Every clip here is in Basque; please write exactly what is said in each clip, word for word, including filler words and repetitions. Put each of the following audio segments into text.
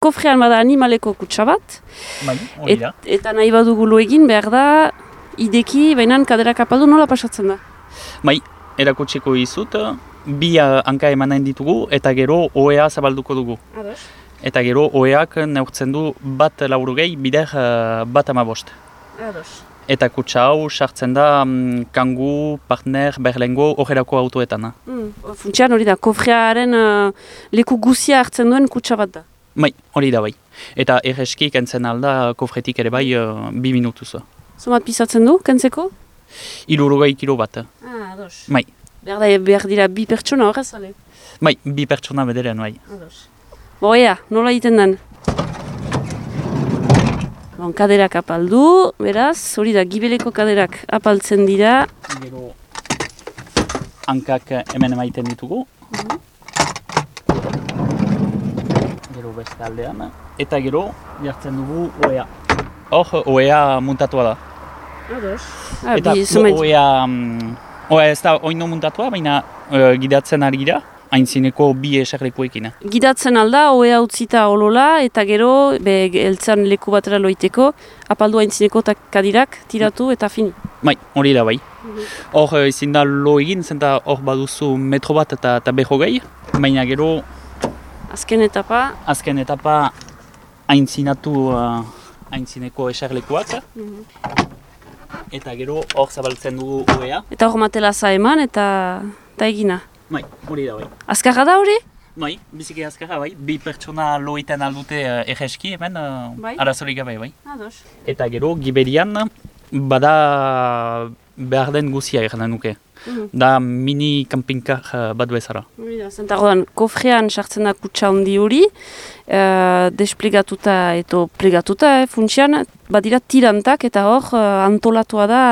Kofrean bada animaleko kutsa bat, bai, hori da. Et, eta nahi badugu lo egin behar da, ideki, baina kaderak apaldu nola pasatzen da? Bai, erakutsiko izut, bi hanka emanen ditugu eta gero ohea zabalduko dugu. Ados. Eta gero oheak neurtzen du bat laburugei bider bat amabost. Ados. Eta kutsa hau sartzen da um, kangu, partner, berlengo, horrelako autoetan. Mm. Funtsian hori da, kofrearen uh, leku guzia hartzen duen kutsa bat da. Bai, hori da bai. Eta erreski kentzen alda kofretik ere bai uh, bi minutuz. Zomat pisatzen du, kentzeko? Hirurogei kilo bat. Ah, ados. Bai. Behar da, behar dira bi pertsona horrez, ale? Bai, bi pertsona bederen bai. Ados. Bo, ea, nola egiten den? Bon, kaderak apaldu, beraz, hori da, gibeleko kaderak apaltzen dira. Gero hankak hemen emaiten ditugu. Mm-hmm. Gero beste aldean. Eta gero jartzen dugu ohea. Hor, ohea muntatua da. Ados. Eta ohea, um, ohea ez da oino muntatua, baina uh, gidatzen ari gira. Aintzineko bi eserlekuekin. Gidatzen alda, ohea utzita olola, eta gero, be, eltzan leku batera loiteko, apaldu aintzineko kadirak, tiratu eta fini. Bai, hori da bai. Hor mm-hmm. ezin da lo egin, zenta hor baduzu metro bat eta, eta behogei, baina gero... Azken etapa... Azken etapa aintzinatu uh, aintzineko eserlekuak. Mm-hmm. Eta gero hor zabaltzen dugu ohea. Eta hor matelaza eman eta, eta egina. Bai, hori da bai. Azkarra da hori? Bai, biziki azkarra bai. Bi pertsona loiten aldute uh, erreski hemen, uh, bai? Arazorik gabe bai. Ados. Eta gero giberian bada behar den guzia egin nuke. Mm-hmm. Da mini campingkar uh, bat bezala. Hori da, zentagoan kofrean sartzen da kutsa handi hori, uh, desplegatuta eto plegatuta, eh, funtsian, badira tirantak eta hor uh, antolatua da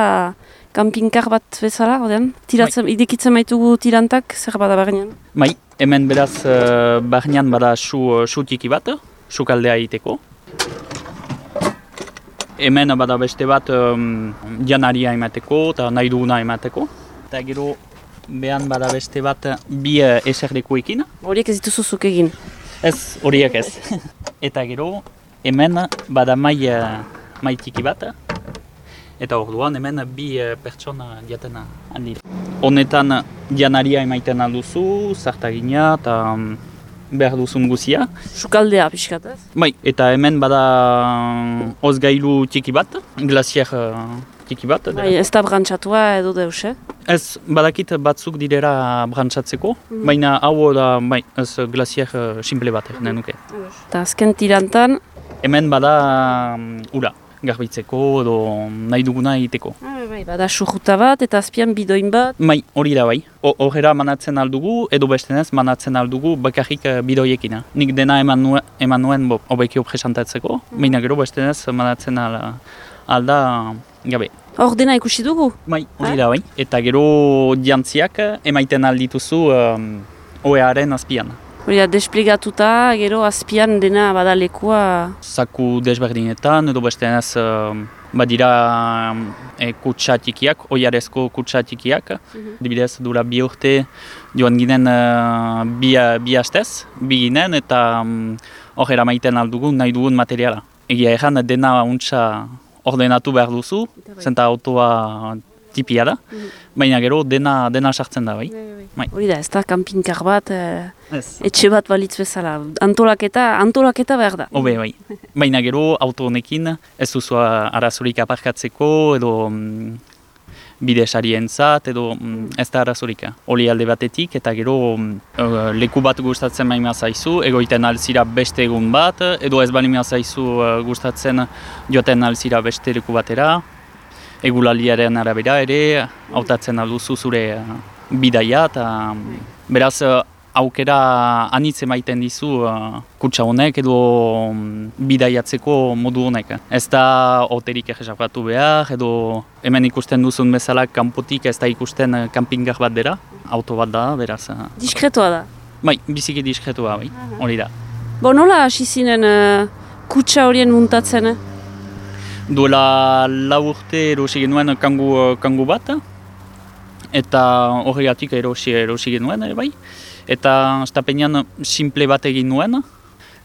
campingkar bat bezala, ordean, tiratzen, bai. Idekitzen maitugu tirantak, zer bada barnean? Bai, hemen beraz uh, barnean bada su, su tiki bat, sukaldea egiteko. Hemen bada beste bat um, janaria emateko eta nahi duguna emateko. Eta gero behan bada beste bat bi uh, eserlekuekin. Horiek ez dituzuzuk egin? Ez, horiek ez. Eta gero hemen bada mai, uh, mai tiki bat. Eta orduan hemen bi uh, pertsona diaten handira. Honetan janaria emaiten alduzu, zartagina eta um, behar duzun guzia. Sukaldea pixkat ez? Bai, eta hemen bada ozgailu tiki bat, glazier uh, tiki bat. Bai, ez da brantxatua edo deus, eh? Ez, badakit batzuk direra brantxatzeko, mm-hmm. baina hau da, bai, ez glazier uh, simple bat egin nuke. Eta azken tirantan? Hemen bada um, ura. Garbitzeko edo nahi duguna egiteko. Ah, bai, bada surruta bat eta azpian bidoin bat. Bai, hori da bai. Horrela manatzen aldugu edo bestenez manatzen aldugu bakarrik bidoiekin. Nik dena eman nuen, eman nuen hobekio presantatzeko, mm. baina gero bestenez manatzen al, alda gabe. Hor dena ikusi dugu? Bai, hori da bai. Eta gero jantziak emaiten aldituzu um, ohearen azpian. Hori da, desplegatuta, gero azpian dena badalekua... Zaku desberdinetan, edo bestenez uh, badira e, kutsa tikiak, oiarezko kutsa tikiak. Mm-hmm. Dibidez, dura bi urte joan ginen uh, bi, bi hastez, bi ginen, eta hor um, eramaiten aldugun nahi dugun materiala. Egia egan, dena untsa ordenatu behar duzu, zenta autoa tipia da, mm-hmm. baina gero dena, dena sartzen da, bai. Bai. Hori da, ez da campingkar bat, eh, etxe bat balitz bezala, antolaketa, antolaketa behar da. Hobe, bai. Baina gero auto honekin ez duzu arazorik aparkatzeko edo mm, bide sarientzat edo mm, ez da arazorik. Oli alde batetik eta gero mm, leku bat gustatzen baina zaizu, egoiten alzira beste egun bat, edo ez baina zaizu uh, gustatzen joaten alzira beste leku batera. Egulaliaren arabera ere, hautatzen alduzu zure uh, bidaia eta beraz aukera anitz emaiten dizu uh, kutsa honek edo um, bidaiatzeko modu honek. Ez da hoterik egesapatu behar edo hemen ikusten duzun bezala kanpotik ez da ikusten uh, campingar bat dira, auto bat da, beraz. Uh, Diskretoa da? Bai, biziki diskretoa, bai, hori da. Bo nola hasi zinen uh, kutsa horien muntatzen? Eh? Duela lau urte erosi genuen kangu, kangu bat, eta horregatik erosi, erosi genuen, bai. Eta estapenean simple bat egin nuen,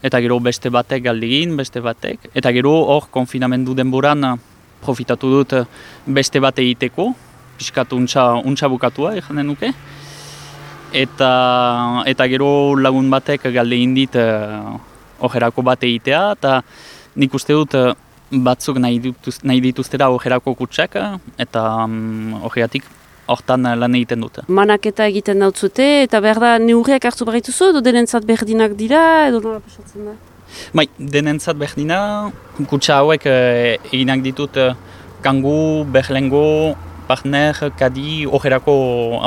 eta gero beste batek galdegin, beste batek, eta gero hor konfinamendu denboran profitatu dut beste bat egiteko, pixkatu untxa, untxa bukatua, eganen nuke. Eta, eta gero lagun batek galdegin dit ojerako bat egitea, eta nik uste dut batzuk nahi, dituz, nahi dituztera ojerako kutsak, eta um, ojeatik hortan lan egiten dut. Manaketa egiten dautzute, eta behar da neurriak hartu barrituzu, edo denentzat berdinak dira, edo nola pasatzen da? Bai, denentzat berdina, kutsa hauek eh, eginak ditut eh, kangu, berlengo, partner, kadi, ojerako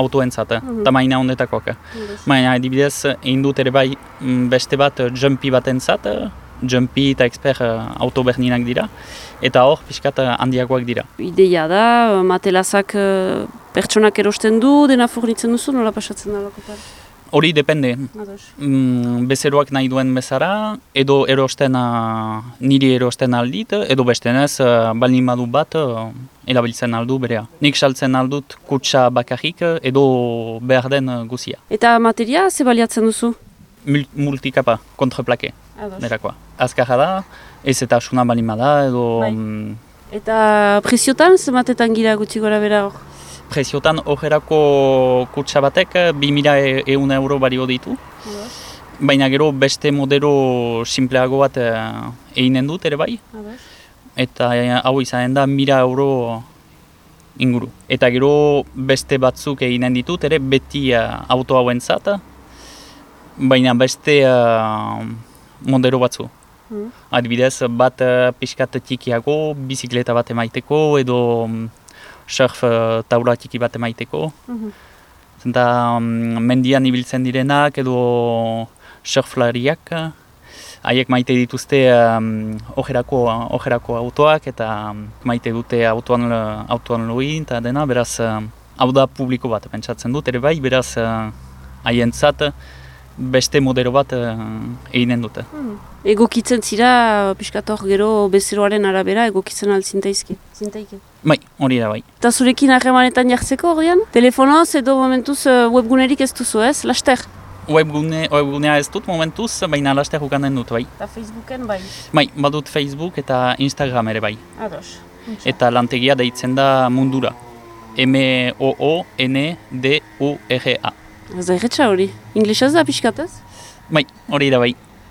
autoentzat, eh, mm-hmm. tamaina ondetakoak. Mm-hmm. Baina adibidez, egin dut ere bai beste bat jumpy batentzat, jumpy eta expert auto berdinak dira, eta hor pixkat handiakoak dira. Ideia da, matelazak pertsonak erosten du, dena fornitzen duzu, nola pasatzen da lakotan? Hori depende. Mm, bezeroak nahi duen bezara, edo erosten, niri erosten aldit, edo bestenez, baldin badu bat, erabiltzen aldu berea. Nik saltzen aldut kutsa bakarrik, edo behar den guzia. Eta materia, ze baliatzen duzu? Multikapa, kontraplake. Nerakoa. Azkarra da, ez eta asuna balima da, edo... Bai. Eta preziotan, zematetan gira gutxi gora bera hor? Preziotan ojerako kutsa batek bi mila eun euro bario ditu. Ados. Baina gero beste modelo simpleago bat eginen dut ere bai. Ados. Eta hau izanen da mila euro inguru. Eta gero beste batzuk eginen ditut ere beti auto hauentzat. Baina beste uh, modelo batzu. Mm. Adibidez, bat uh, pixkat tikiago, bizikleta bat emaiteko, edo um, surf uh, taula tiki bat emaiteko. Mm-hmm. Zenta um, mendian ibiltzen direnak, edo surflariak, haiek maite dituzte um, ojerako, ojerako autoak, eta um, maite dute autoan, autoan loin, eta dena, beraz, uh, hau da publiko bat, pentsatzen dut, ere bai, beraz, haientzat, uh, beste modelo bat uh, eginen dute. Hmm. Egokitzen zira, pixkat hor gero bezeroaren arabera, egokitzen altzintaizki? Zintaike? Bai, hori da bai. Eta zurekin harremanetan jartzeko horian? Telefonoz edo momentuz webgunerik ez duzu ez, laster? Webgune, webgunea ez dut momentuz, baina laster ukanen dut bai. Eta Facebooken bai? Bai, badut Facebook eta Instagram ere bai. Ados. Eta lantegia deitzen da Mundura. M O O N D U R A. Ez da erretxa hori. Inglesaz da pixkatez? Bai, hori da bai.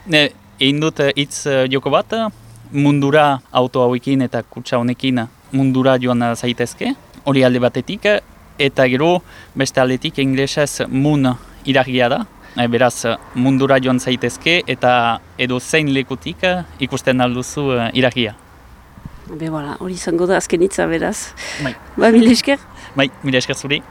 Ne, egin dut hitz uh, joko bat, mundura auto hauekin eta kutsa honekin mundura joan zaitezke. Hori alde batetik, eta gero beste aldetik inglesez moon iragia da. E, beraz, mundura joan zaitezke eta edo zein lekutik ikusten alduzu uh, iragia. Be, voilà, hori izango da azken hitza beraz. Bai. Ba, mil esker? Bai, mil esker zuri.